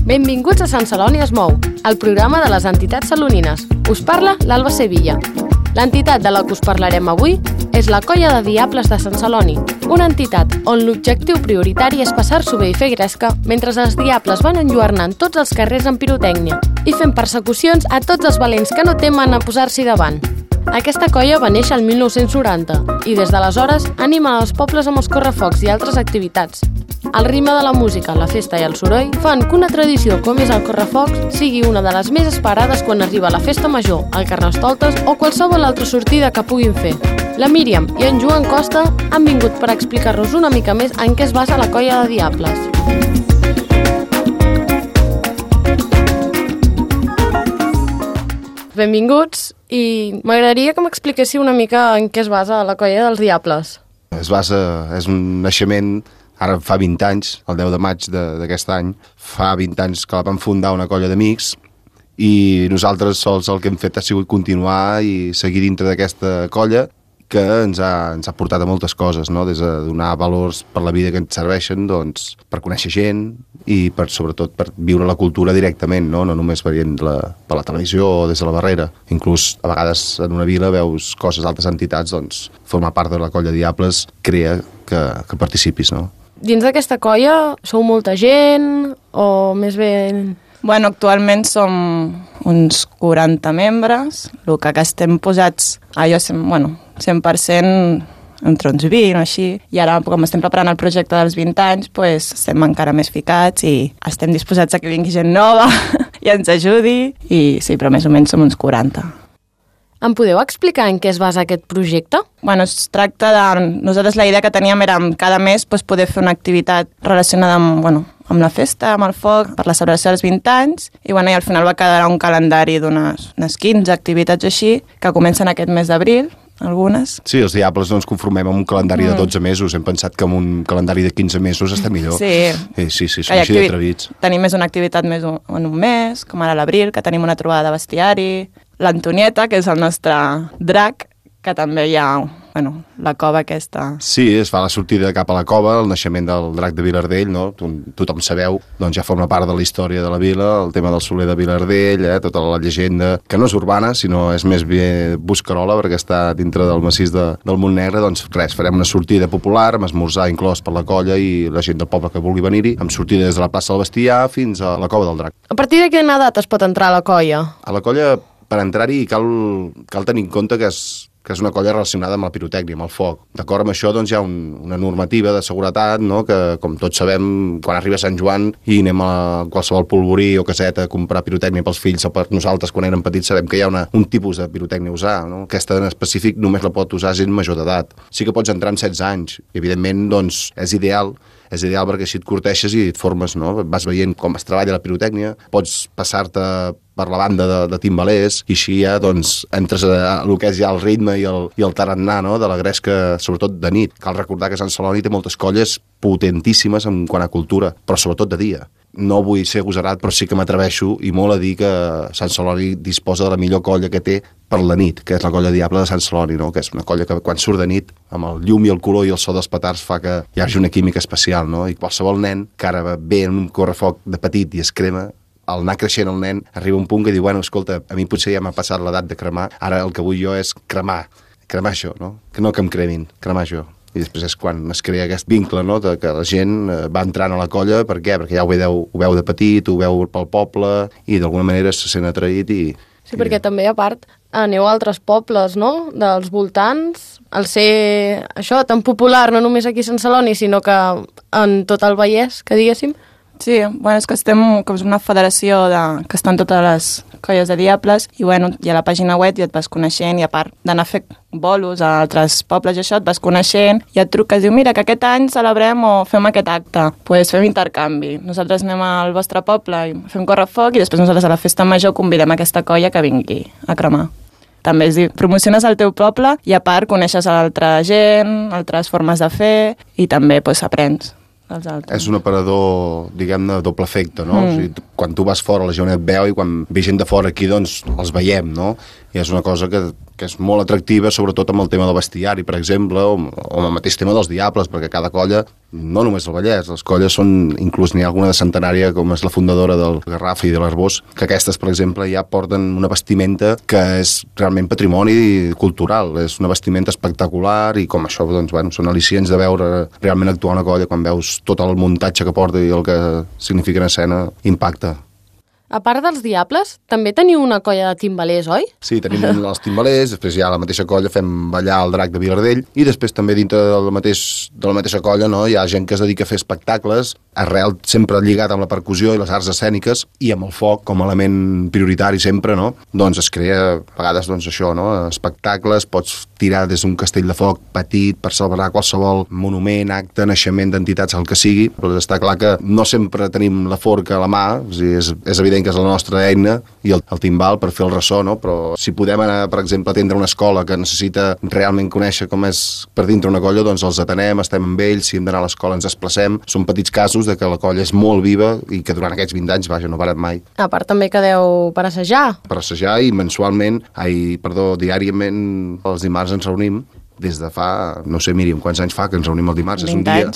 Benvinguts a Sant Celoni es mou, el programa de les entitats salonines. Us parla l'Alba Sevilla. L'entitat de la que us parlarem avui és la Colla de Diables de Sant Celoni, una entitat on l'objectiu prioritari és passar-s'ho bé i fer gresca mentre els diables van enlluernant tots els carrers amb pirotècnia i fent persecucions a tots els valents que no temen a posar-s'hi davant. Aquesta colla va néixer el 1990 i des d'aleshores anima els pobles amb els correfocs i altres activitats. El ritme de la música, la festa i el soroll fan que una tradició com és el correfocs sigui una de les més esperades quan arriba la festa major, el carnestoltes o qualsevol altra sortida que puguin fer. La Míriam i en Joan Costa han vingut per explicar-nos una mica més en què es basa la Colla de Diables. Benvinguts i m'agradaria que m'expliquéssiu una mica en què es basa la Colla dels Diables. És un naixement. Ara fa 20 anys, el 10 de maig d'aquest any, fa 20 anys que la vam fundar una colla d'amics i nosaltres sols el que hem fet ha sigut continuar i seguir dintre d'aquesta colla que ens ha portat a moltes coses, no? Des de donar valors per la vida que ens serveixen, doncs, per conèixer gent i sobretot per viure la cultura directament, no només veient per la televisió o des de la barrera. Inclús a vegades en una vila veus coses d'altres entitats, doncs formar part de la Colla de Diables crea que participis, no? Dins d'aquesta colla sou molta gent o més bé... Bueno, actualment som uns 40 membres, el que estem posats, jo 100% entre uns 20 o així, i ara com estem preparant el projecte dels 20 anys, doncs estem encara més ficats i estem disposats a que vingui gent nova i ens ajudi, i sí, però més o menys som uns 40. Em podeu explicar en què es basa aquest projecte? Bueno, es tracta de... Nosaltres la idea que teníem era cada mes poder fer una activitat relacionada amb la festa, amb el foc, per la celebració dels 20 anys, i al final va quedar un calendari d'unes 15 activitats així, que comencen aquest mes d'abril, algunes. Sí, els Diables no ens conformem amb un calendari de 12 mesos. Hem pensat que amb un calendari de 15 mesos està millor. Sí. Sí, som així d'atrevits. Tenim més una activitat més en un mes, com ara l'abril, que tenim una trobada de bestiari, l'Antonieta, que és el nostre drac, que també hi ha, la cova aquesta. Sí, es fa la sortida cap a la cova, el naixement del drac de Vilardell, no? Tothom sabeu, doncs ja forma part de la història de la vila, el tema del Soler de Vilardell, tota la llegenda, que no és urbana, sinó és més bé buscarola, perquè està dintre del massís del Montnegre. Doncs res, farem una sortida popular, amb esmorzar inclòs per la colla i la gent del poble que vulgui venir-hi, amb sortida des de la plaça del Bestiar fins a la cova del drac. A partir de quina edat es pot entrar a la colla? A la colla, per entrar-hi, cal tenir en compte que és una colla relacionada amb la pirotècnia, amb el foc. D'acord amb això, doncs, hi ha una normativa de seguretat, no?, que, com tots sabem, quan arriba Sant Joan i anem a qualsevol polvorí o caseta a comprar pirotècnia pels fills o per nosaltres, quan érem petits, sabem que hi ha un tipus de pirotècnia a usar, no? Aquesta en específic només la pot usar gent major d'edat. Sí que pots entrar amb 16 anys i, evidentment, doncs, és ideal perquè així et corteixes i et formes, no? Vas veient com es treballa la pirotècnia, pots passar-te per la banda de timbalers i així ja, doncs, entres a el que és ja el ritme i el tarannà, no?, de la gresca, sobretot de nit. Cal recordar que Sant Celoni té moltes colles potentíssimes en quant a cultura, però sobretot de dia. No vull ser agosarat, però sí que m'atreveixo i molt a dir que Sant Celoni disposa de la millor colla que té per la nit, que és la Colla Diable de Sant Celoni, no? Que és una colla que quan surt de nit, amb el llum i el color i el so dels petards fa que hi hagi una química especial, no? I qualsevol nen que ara ve en un correfoc de petit i es crema, al anar creixent el nen arriba un punt que diu, escolta, a mi potser ja m'ha passat l'edat de cremar, ara el que vull jo és cremar això, no? Que no que em cremin, cremar això. I després és quan es crea aquest vincle, no?, de que la gent va entrant a la colla. Per què? Perquè ja ho veu de petit, ho veu pel poble i d'alguna manera se sent atraït i... Sí, perquè també, a part, aneu a altres pobles, no?, dels voltants, al ser això tan popular, no només aquí a Sant Celoni, sinó que en tot el Vallès, que diguéssim. Sí, és que estem com una federació que estan totes les colles de diables i hi ha la pàgina web i et vas coneixent i a part d'anar a fer bolos a altres pobles i això et vas coneixent i et truques i diu, mira, que aquest any celebrem o fem aquest acte, doncs fem intercanvi. Nosaltres anem al vostre poble i fem correfoc i després nosaltres a la festa major convidem aquesta colla que vingui a cremar. També és dir, promociones el teu poble i a part coneixes a l'altra gent, altres formes de fer i també aprens. És un aparador, diguem-ne, doble efecte, no? O sigui, quan tu vas fora la gent et veu i quan ve gent de fora aquí, doncs, els veiem, no? i és una cosa que és molt atractiva, sobretot amb el tema del bestiari, per exemple, o amb el mateix tema dels Diables, perquè cada colla, no només el Vallès, les colles són, inclús n'hi ha alguna de centenària, com és la fundadora del Garraf i de l'Arbós, que aquestes, per exemple, ja porten una vestimenta que és realment patrimoni cultural, és una vestimenta espectacular i com això, doncs, bueno, són al·licients de veure realment actuar una colla quan veus tot el muntatge que porta i el que significa en escena, impacta. A part dels Diables, també teniu una colla de timbalers, oi? Sí, tenim els timbalers, després ja a la mateixa colla fem ballar el drac de Vilardell i després també dintre de la mateixa colla, no, hi ha gent que es dedica a fer espectacles, arrel sempre lligat amb la percussió i les arts escèniques i amb el foc com a element prioritari sempre, no? Doncs es crea a vegades doncs això, no? Espectacles, pots tirar des d'un castell de foc petit per celebrar qualsevol monument, acte, naixement d'entitats, el que sigui, però està clar que no sempre tenim la forca a la mà, o sigui, és evident que és la nostra eina i el timbal per fer el ressò, no? Però si podem anar, per exemple, a atendre una escola que necessita realment conèixer com és per dintre una colla, doncs els atenem, estem amb ells, si hem d'anar a l'escola ens desplacem. Són petits casos de que la colla és molt viva i que durant aquests 20 anys, vaja, no parat mai. A part també quedeu per assajar. Per assajar i diàriament els dimarts ens reunim des de fa, no sé, Míriam, quants anys fa que ens reunim el dimarts? És un dia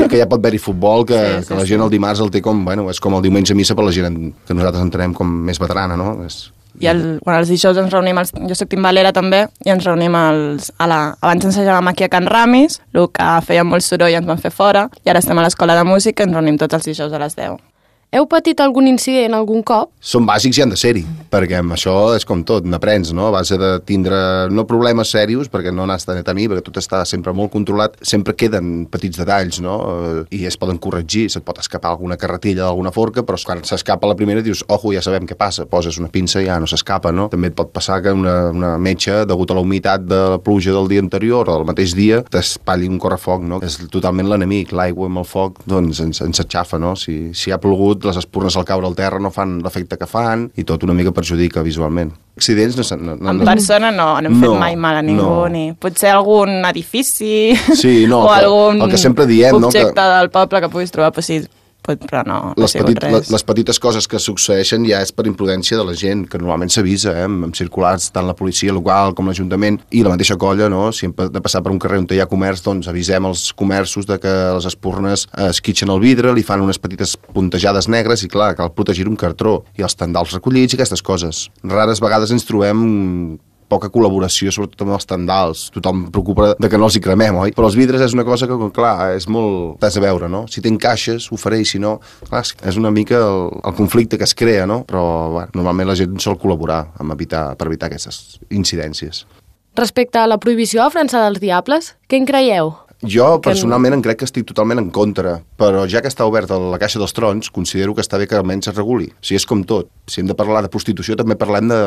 que ja pot haver-hi futbol, que la gent el dimarts el té com, bueno, és com el diumenge a missa per la gent que nosaltres entenem com més veterana, no? I els dijous ens reunim, jo soc timbalera també, i ens reunim abans ensajàvem aquí a Can Ramis, el que feia molt soroll ens van fer fora, i ara estem a l'escola de música i ens reunim tots els dijous a les 10. Heu patit algun incident algun cop? Són bàsics i han de ser-hi, perquè amb això és com tot, n'aprens, no? A base de tindre, no problemes serios, perquè no n'has de tenir, perquè tot està sempre molt controlat, sempre queden petits detalls, no? I es poden corregir, se't pot escapar alguna carretilla d'alguna forca, però quan s'escapa la primera dius, ojo, ja sabem què passa, poses una pinça i ja no s'escapa, no? També et pot passar que una metxa, degut a la humitat de la pluja del dia anterior o del mateix dia, t'espatlli un correfoc, no? És totalment l'enemic, l'aigua amb el foc, doncs ens aixafa, no? Si ha plogut, les espurnes al caure al terra no fan l'efecte que fan i tot una mica perjudica visualment. Accidents en persona no hem fet mai mal a ningú, ni potser algun edifici o algun el que sempre diem, objecte del poble que puguis trobar, però sí, però no ha sigut res. Les petites coses que succeeixen ja és per imprudència de la gent, que normalment s'avisa, amb circulars, tant la policia local com l'Ajuntament i la mateixa colla, no? Si hem de passar per un carrer on hi ha comerç, doncs avisem els comerços de que les espurnes esquitxen el vidre, li fan unes petites puntejades negres i clar, cal protegir un cartró i els tendals recollits i aquestes coses. Rares vegades ens trobem poca col·laboració, sobretot amb els tendals. Tothom preocupa de que no els hi cremem, oi? Però els vidres és una cosa que, clar, és molt... T'has de veure, no? Si t'encaixes, ho faré, i si no... Clar, és una mica el conflicte que es crea, no? Però, bueno, normalment la gent sol col·laborar per evitar aquestes incidències. Respecte a la prohibició a França dels Diables, què en creieu? Jo, personalment, crec que estic totalment en contra, però ja que està oberta la caixa dels trons, considero que està bé que almenys es reguli. O sigui, és com tot. Si hem de parlar de prostitució, també parlem de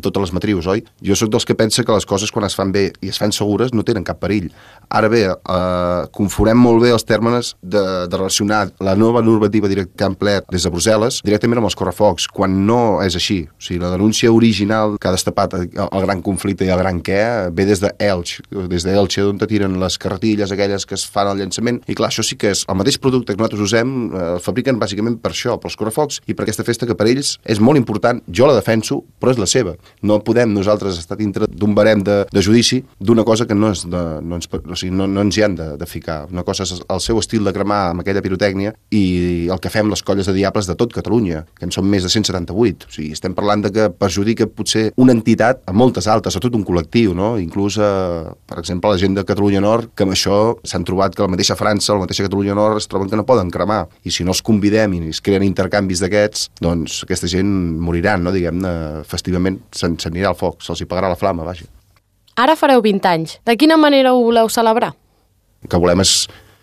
totes les matrius, oi? Jo sóc dels que pensa que les coses, quan es fan bé i es fan segures, no tenen cap perill. Ara bé, confonem molt bé els termes de relacionar la nova normativa que han pleat des de Brussel·les directament amb els correfocs, quan no és així. O sigui, la denúncia original que ha destapat el gran conflicte i el gran què ve des d'Elx, d'on te tiren les carretilles aquelles que es fan al llançament, i clar, això sí que és el mateix producte que nosaltres usem, el fabriquen bàsicament per això, pels correfocs i per aquesta festa que per ells és molt important, jo la defenso, però és la seva. No podem nosaltres estar dintre d'un barem de judici d'una cosa que no ens hi han de ficar. Una cosa és el seu estil de cremar amb aquella pirotècnia i el que fem les colles de Diables de tot Catalunya, que en són més de 178. O sigui, estem parlant de que perjudica potser una entitat a moltes altres, a tot un col·lectiu, no? Inclús, per exemple, la gent de Catalunya Nord, que amb això s'han trobat que la mateixa França, la mateixa Catalunya Nord es troben que no poden cremar, i si no els convidem i es creen intercanvis d'aquests, doncs aquesta gent moriran, no? Diguem-ne, festivament s'anirà al foc, se'ls hi pagarà la flama, vaja. Ara fareu 20 anys. De quina manera ho voleu celebrar? El que volem és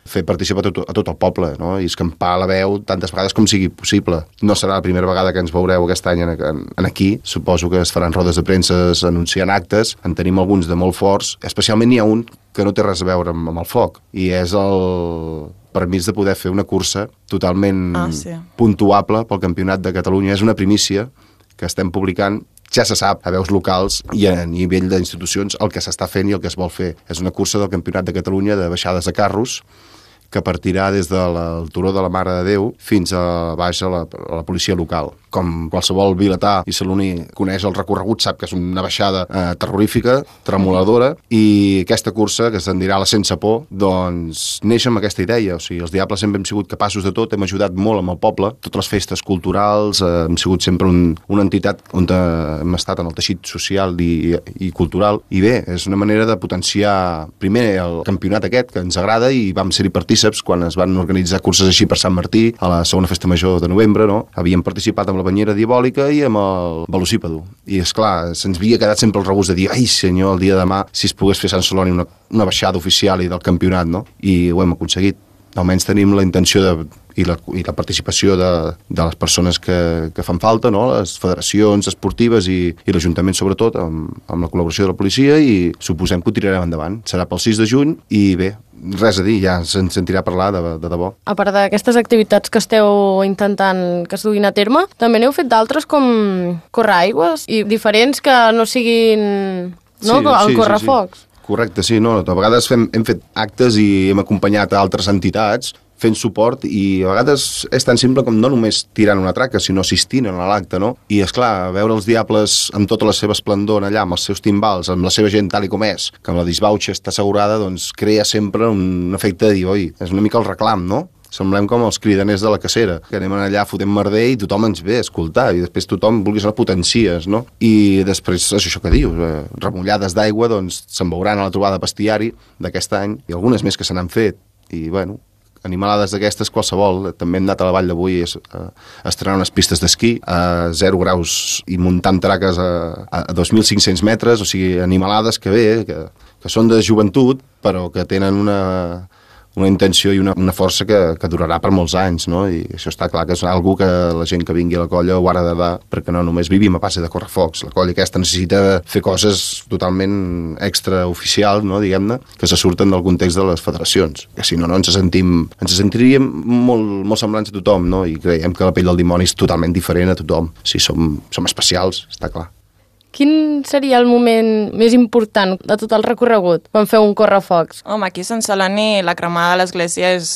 fer participar a tot el poble, no? I escampar la veu tantes vegades com sigui possible. No serà la primera vegada que ens veureu aquest any aquí. Suposo que es faran rodes de premsa anunciant actes. En tenim alguns de molt forts. Especialment n'hi ha un que no té res a veure amb el foc. I és el permís de poder fer una cursa totalment puntuable pel Campionat de Catalunya. És una primícia que estem publicant. Ja se sap a veus locals i a nivell d'institucions el que s'està fent i el que es vol fer. És una cursa del Campionat de Catalunya de baixades de carros que partirà des del Turó de la Mare de Déu fins a baix a la policia local. Com qualsevol vilatà i saloní coneix el recorregut, sap que és una baixada terrorífica, tremoladora, i aquesta cursa, que se'n dirà la Sense Por, doncs neix amb aquesta idea. O sigui, els Diables sempre hem sigut capaços de tot, hem ajudat molt amb el poble, totes les festes culturals, hem sigut sempre una entitat on hem estat en el teixit social i cultural, i bé, és una manera de potenciar primer el campionat aquest, que ens agrada, i vam ser-hi partíceps quan es van organitzar curses així per Sant Martí, a la segona festa major de novembre, no? Havíem participat amb la banyera diabòlica i amb el velocípedo. I, esclar, se'ns havia quedat sempre el regust de dir, ai senyor, el dia de demà, si es pogués fer a Sant Celoni una baixada oficial i del campionat, no? I ho hem aconseguit. Almenys tenim la intenció i la participació de les persones que fan falta, no? Les federacions esportives i l'Ajuntament, sobretot, amb la col·laboració de la policia, i suposem que ho tirarem endavant. Serà pel 6 de juny i bé, res a dir, ja se'n sentirà parlar de debò. A part d'aquestes activitats que esteu intentant que es duguin a terme, també n'heu fet d'altres com córrer aigües i diferents que no siguin el correfocs. Correcte, sí, no, a vegades hem fet actes i hem acompanyat a altres entitats fent suport, i a vegades és tan simple com no només tirant una traca, sinó assistint a l'acte, no? I, esclar, veure els Diables amb tota la seva esplendor allà, amb els seus timbals, amb la seva gent tal i com és, que amb la disbauxa està assegurada, doncs crea sempre un efecte de dir, oi, és una mica el reclam, no? Semblem com els cridaners de la cacera, que anem allà, fotem merder i tothom ens ve a escoltar, i després tothom, vulguis o no, potencies, no? I després és això que dius, remullades d'aigua, doncs se'n veuran a la trobada bestiari d'aquest any, i algunes més que se n'han fet, i, bueno, animalades d'aquestes qualsevol. També hem anat a la Vall d'Avui a estrenar unes pistes d'esquí a 0 graus i muntant traques a 2.500 metres, o sigui, animalades que bé, que són de joventut, però que tenen una intenció i una força que durarà per molts anys, no? I això està clar que és algo que la gent que vingui a la colla ho ha de dar, perquè no només vivim a base de correfocs. La colla aquesta necessita fer coses totalment extraoficials, no, diguem-ne, que se surten del context de les federacions, que si no ens sentiríem molt semblants a tothom, no? I creiem que la pell del dimoni és totalment diferent a tothom. Si som especials, està clar. Quin seria el moment més important de tot el recorregut quan feu un correfocs? Home, aquí a Sant Celoni la cremada de l'església és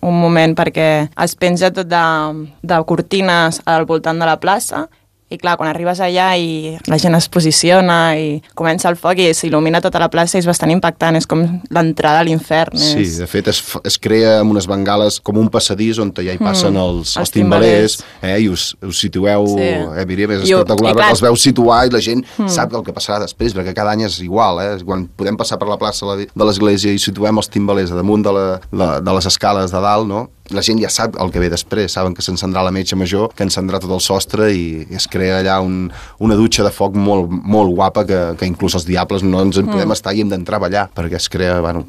un moment perquè es penja tot de cortines al voltant de la plaça, i clar, quan arribes allà i la gent es posiciona i comença el foc i s'il·lumina tota la plaça, és bastant impactant, és com l'entrada a l'infern. Sí, de fet es crea amb unes bengales com un passadís on ja hi passen els timbalers, i us situeu, Míriam, és espectacular, perquè els veus situar i la gent sap el que passarà després, perquè cada any és igual, quan podem passar per la plaça de l'església i situem els timbalers a damunt de les escales de dalt, no? La gent ja sap el que ve després, saben que s'encendrà la metxa major, que encendrà tot el sostre, i es crea allà una dutxa de foc molt, molt guapa que inclús els Diables no ens en podem estar i hem d'entrar a ballar, perquè es crea, bueno,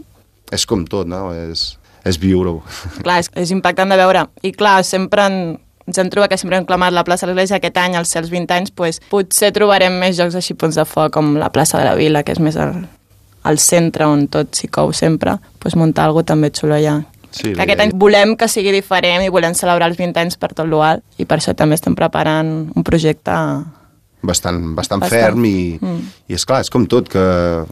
és com tot, no? És viure-ho. Clar, és impactant de veure. I clar, sempre ens hem trobat que sempre hem clamat la plaça de l'Església. Aquest any, als 20 anys, doncs, potser trobarem més jocs així, punts de foc, com la plaça de la Vila, que és més al centre, on tot s'hi cou sempre, doncs muntar alguna cosa també xulo allà. Sí, aquest any volem que sigui diferent i volem celebrar els 20 anys per tot l'UAL, i per això també estem preparant un projecte bastant ferm i esclar, és com tot, que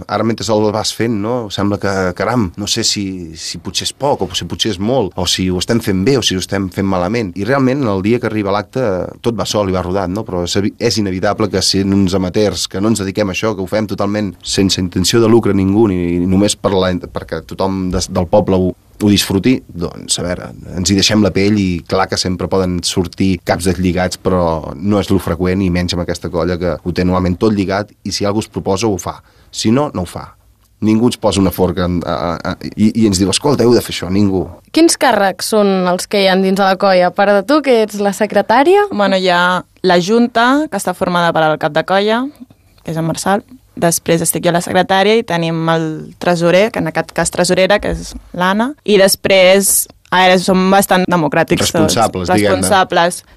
ara mentre el vas fent, no? Sembla que, caram, no sé si potser és poc o si potser és molt, o si ho estem fent bé o si ho estem fent malament, i realment el dia que arriba l'acte tot va sol i va rodat, no? Però és inevitable que sent uns amateurs que no ens dediquem a això, que ho fem totalment sense intenció de lucre ningú, ni només perquè tothom del poble ho disfruti, doncs, a veure, ens hi deixem la pell, i clar que sempre poden sortir caps deslligats, però no és lo freqüent, i menys amb aquesta colla que ho té normalment tot lligat, i si algú es proposa ho fa, si no, no ho fa. Ningú ens posa una forca i ens diu, escolta, heu de fer això, ningú. Quins càrrecs són els que hi ha dins de la colla? A part de tu, que ets la secretària? Bueno, hi ha la junta, que està formada per al cap de colla, que és en Marçal. Després estic jo la secretària i tenim el tresorer, que en aquest cas tresorera, que és l'Anna, i després ara som bastant democràtics. Responsables, diguem-ne.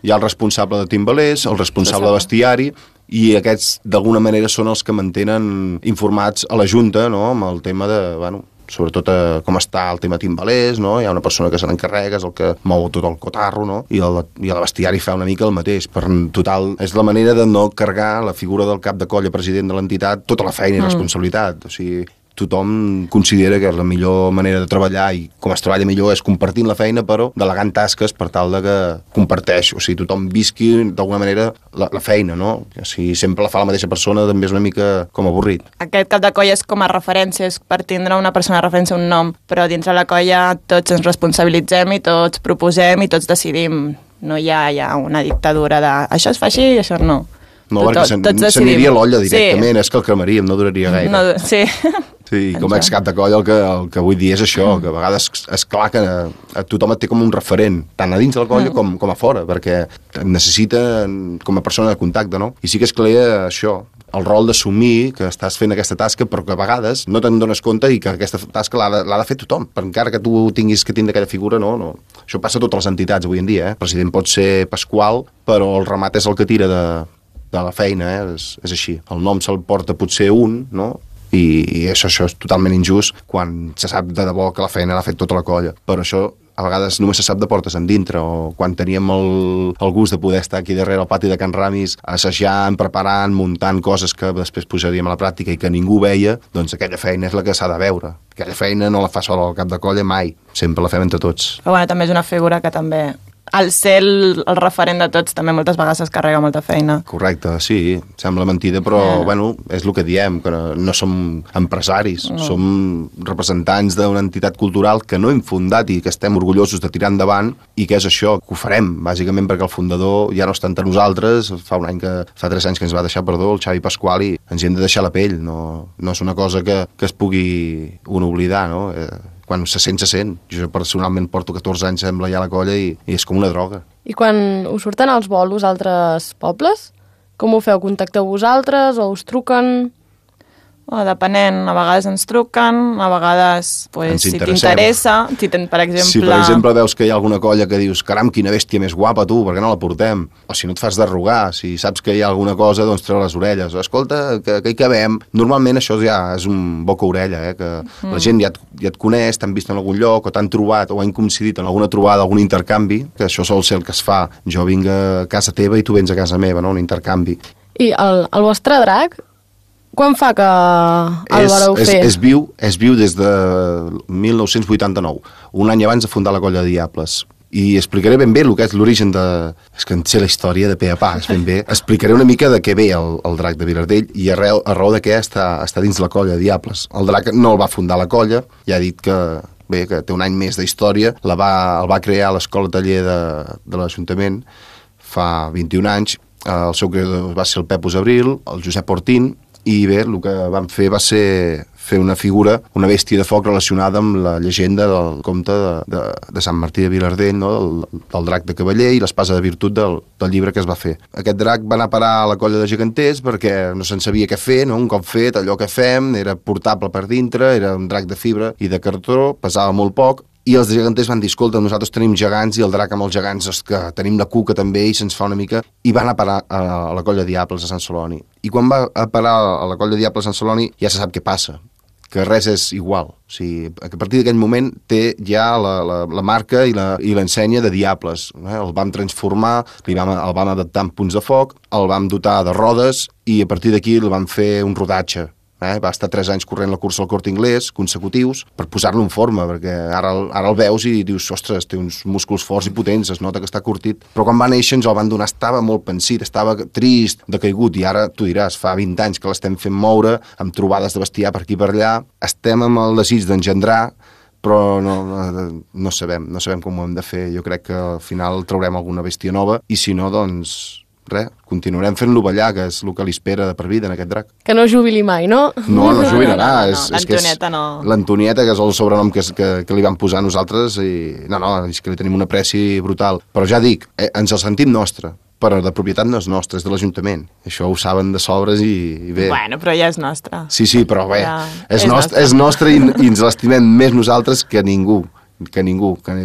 Hi ha el responsable de timbalers, el responsable de bestiari, i aquests d'alguna manera són els que mantenen informats a la Junta, no?, amb el tema de, bueno, sobretot com està el tema timbalers, no? Hi ha una persona que se n'encarrega, és el que mou tot el cotarro, no? I el bestiari fa una mica el mateix. Per total, és la manera de no carregar la figura del cap de colla, president de l'entitat, tota la feina i responsabilitat. O sigui, tothom considera que la millor manera de treballar i com es treballa millor és compartint la feina, però delegant tasques per tal de que comparteix, o sigui, tothom visqui d'alguna manera la feina, no? Si sempre la fa la mateixa persona també és una mica com avorrit. Aquest cap de colla és com a referència, és per tindre una persona de referència, un nom, però dins de la colla tots ens responsabilitzem i tots proposem i tots decidim. No hi ha una dictadura de això es fa així i això no. No, perquè s'aniria l'olla directament, és que el cremaríem, no duraria gaire. No, sí. Sí, com a excap de colla el que vull dir és això, que a vegades és clar que a tothom et té com un referent, tant a dins de la colla com a fora, perquè et necessita com a persona de contacte, no? I sí que es crea això, el rol d'assumir que estàs fent aquesta tasca, però que a vegades no te'n dones compte i que aquesta tasca l'ha de fer tothom, per encara que tu tinguis que tindre aquella figura, no. Això passa a totes les entitats avui en dia, eh? El president pot ser Pasqual, però el remat és el que tira de la feina, és així. El nom se'l porta potser un, no?, i això és totalment injust quan se sap de debò que la feina l'ha fet tota la colla. Però això a vegades només se sap de portes endintre, o quan teníem el gust de poder estar aquí darrere al pati de Can Ramis assajant, preparant, muntant coses que després posaríem a la pràctica i que ningú veia, doncs aquella feina és la que s'ha de veure. Aquella feina no la fa sola al cap de colla mai, sempre la fem entre tots. Però bueno, també és una figura que també, al ser el referent de tots, també moltes vegades es carrega molta feina. Correcte, sí, sembla mentida, però bueno, és el que diem, que no som empresaris, som representants d'una entitat cultural que no hem fundat i que estem orgullosos de tirar endavant, i que és això, que ho farem, bàsicament perquè el fundador ja no està entre nosaltres, fa 3 anys que ens va deixar, el Xavi Pasqual, i ens hi hem de deixar la pell, no és una cosa que es pugui oblidar, no? Quan se sent. Jo personalment porto 14 anys sembla ja a la colla i és com una droga. I quan us surten els bolos a altres pobles, com ho feu? Contacteu vosaltres o us truquen? Depenent, a vegades ens truquen, a vegades, si t'interessa, per exemple... Si per exemple veus que hi ha alguna colla que dius caram, quina bèstia més guapa tu, per què no la portem? O si no et fas derrogar, si saps que hi ha alguna cosa, doncs treu les orelles. Escolta, que hi cabem. Normalment això ja és un boca-orella, que la gent ja et coneix, t'han vist en algun lloc, o t'han trobat, o han coincidit en alguna trobada, algun intercanvi, que això sol ser el que es fa. Jo vinc a casa teva i tu vens a casa meva, no? Un intercanvi. I el vostre drac, quan fa que el vareu fer? És viu des de 1989, un any abans de fundar la colla de Diables. I explicaré ben bé el que és l'origen de... És que en sé la història de pe a pa, ben bé. Explicaré una mica de què ve el drac de Vilardell i a raó de què està dins la colla de Diables. El drac no el va fundar la colla, ja he dit que té un any més d'història, el va crear a l'escola taller de l'Ajuntament fa 21 anys. El seu creador va ser el Pepus Abril, el Josep Ortín, i bé, el que van fer va ser fer una figura, una bèstia de foc relacionada amb la llegenda del comte de Sant Martí de Vilardell, no? del drac de cavaller i l'espasa de virtut del llibre que es va fer. Aquest drac va anar a parar a la colla de geganters perquè no se'n sabia què fer, no? Un cop fet, allò que fem era portable per dintre, era un drac de fibra i de cartró, pesava molt poc, i els geganters van dir, escolta, nosaltres tenim gegants i el drac amb els gegants és que tenim la cuca també i se'ns fa una mica... I van a parar a la colla de Diables a Sant Celoni. I quan va a parar a la colla de Diables a Sant Celoni ja se sap què passa, que res és igual. O sigui, a partir d'aquell moment té ja la marca i l'ensenya de Diables. El vam transformar, el vam adaptar amb punts de foc, el vam dotar de rodes i a partir d'aquí el vam fer un rodatge. Va estar 3 anys corrent la cursa al Corte Inglés, consecutius, per posar-lo en forma, perquè ara el veus i dius, ostres, té uns músculs forts i potents, es nota que està curtit. Però quan va néixer ens el van donar, estava molt pensit, estava trist, decaigut, i ara tu diràs, fa 20 anys que l'estem fent moure, amb trobades de bestiar per aquí per allà, estem amb el desig d'engendrar, però no sabem com ho hem de fer. Jo crec que al final traurem alguna bèstia nova, i si no, doncs... res, continuarem fent-lo ballar, que és el que li espera de per vida en aquest drac. Que no jubili mai, no? No jubilarà. L'Antonieta no. L'Antonieta, que és el sobrenom que li vam posar a nosaltres, i és que li tenim un apreci brutal. Però ja dic, ens el sentim nostre, però de propietat no és nostre, és de l'Ajuntament. Això ho saben de sobres i bé. Bueno, però ja és nostre. Sí, però bé, ja és nostre i ens l'estimem més nosaltres que ningú. Que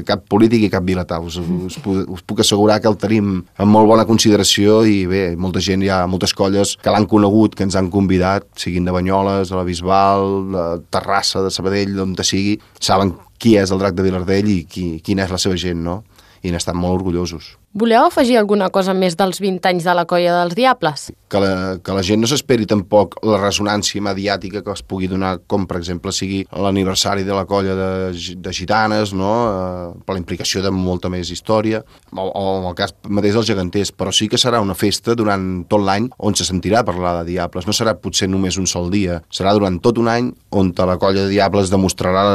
cap polític i cap vilatà. Us puc assegurar que el tenim amb molt bona consideració i bé, molta gent, hi ha moltes colles que l'han conegut, que ens han convidat, siguin de Banyoles, de la Bisbal, de Terrassa, de Sabadell, d'on sigui, saben qui és el drac de Vilardell i quina és la seva gent, no? I n'estan molt orgullosos. Voleu afegir alguna cosa més dels 20 anys de la Colla dels Diables? Que la gent no s'esperi tampoc la ressonància mediàtica que es pugui donar, com per exemple sigui l'aniversari de la colla de gitanes, no? Per la implicació de molta més història, o en el cas mateix dels geganters, però sí que serà una festa durant tot l'any on se sentirà parlar de Diables. No serà potser només un sol dia, serà durant tot un any on la colla de Diables demostrarà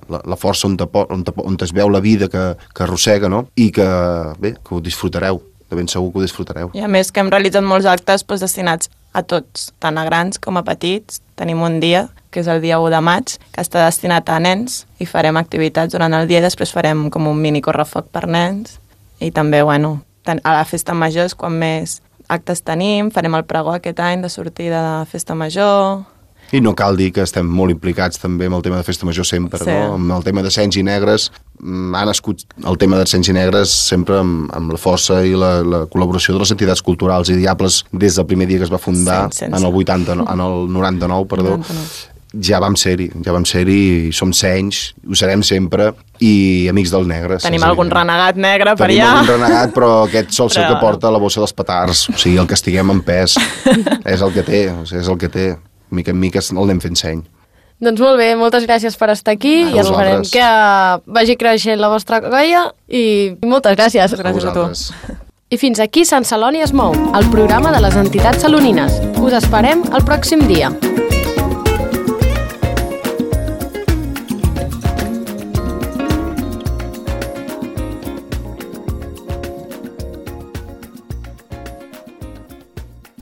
la força on es veu la vida que arrossega, no? I que, bé, que ho disfrutareu, de ben segur que ho disfrutareu. I a més que hem realitzat molts actes destinats a tots, tant a grans com a petits. Tenim un dia, que és el dia 1 de maig, que està destinat a nens i farem activitats durant el dia i després farem com un mini correfoc per nens. I també, bueno, a la festa major és quan més actes tenim, farem el pregó aquest any de sortida de festa major. I no cal dir que estem molt implicats també amb el tema de festa major sempre, sí. No? Amb el tema de Cens i Negres, ha nascut el tema de Cens i Negres sempre amb la força i la col·laboració de les entitats culturals i Diables des del primer dia que es va fundar, en el 99, perdó. 99. Ja vam ser-hi i som senys, ho serem sempre, i amics del negre. Tenim algun renegat negre per allà. Tenim algun renegat, però aquest sol ser que porta la bossa dels petards, o sigui, el que estiguem en pes, és el que té. Mica en mica el anem fent seny. Doncs molt bé, moltes gràcies per estar aquí i esperem que vagi creixent la vostra colla i moltes gràcies. Gràcies a tu. I fins aquí Sant Celoni es mou, el programa de les entitats salonines. Us esperem el pròxim dia.